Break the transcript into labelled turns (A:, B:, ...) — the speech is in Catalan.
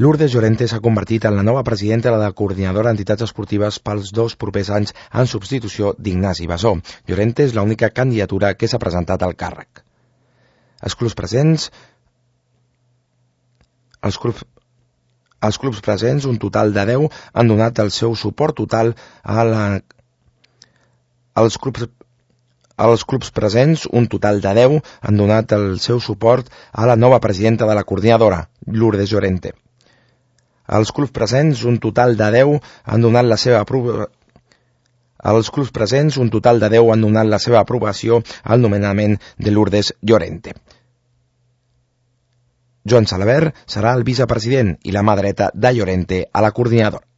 A: Lourdes Llorente s'ha convertit en la nova presidenta de la Coordinadora d'Entitats Esportives pels 2 propers anys en substitució d'Ignasi Basó. Llorente és l'única candidatura que s'ha presentat al càrrec. Els clubs presents, un total de 10, han donat el seu suport total a la... Els clubs presents, un total de 10, han donat el seu suport a la nova presidenta de la Coordinadora, Lourdes Llorente. Els clubs presents, un total de 10, han donat la seva aprovació al nomenament de Lourdes Llorente. Joan Salabert serà el vicepresident i la mà dreta de Llorente a la Coordinadora.